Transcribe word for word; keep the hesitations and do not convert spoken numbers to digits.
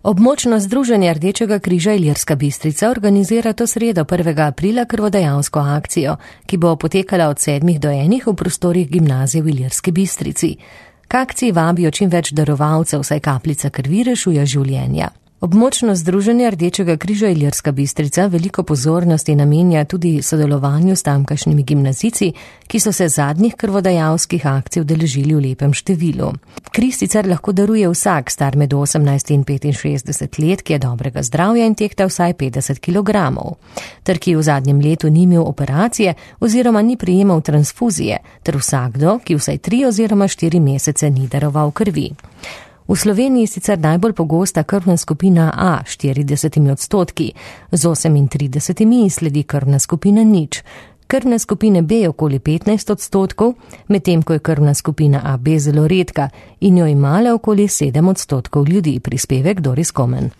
Območno združenje Rdečega križa Ilirska Bistrica organizira to sredo prvega aprila krvodajalsko akcijo, ki bo potekala od sedmih do enih v prostorih gimnazije v Ilirski Bistrici. K akciji vabijo čim več darovalcev, saj kapljica krvi rešuje življenja. Območno združenje Rdečega križa Ilirska Bistrica veliko pozornosti namenja tudi sodelovanju s tamkajšnjimi gimnazijci, ki so se zadnjih krvodajalskih akcij udeležili v lepem številu. Kri sicer lahko daruje vsak, star med osemnajst in petinšestdeset let, ki je dobrega zdravja in tehta vsaj petdeset kilogramov, ter ki v zadnjem letu ni imel operacije oziroma ni prejemal transfuzije, ter vsakdo, ki vsaj tri oziroma štiri mesece ni daroval krvi. V Sloveniji sicer najbolj pogosta krvna skupina A štiridesetimi odstotki, z osemintridesetimi sledi krvna skupina nič, krvne skupine B okoli petnajst odstotkov, medtem ko je krvna skupina A B zelo redka in jo ima le okoli sedem odstotkov ljudi, prispevek Doris Komen.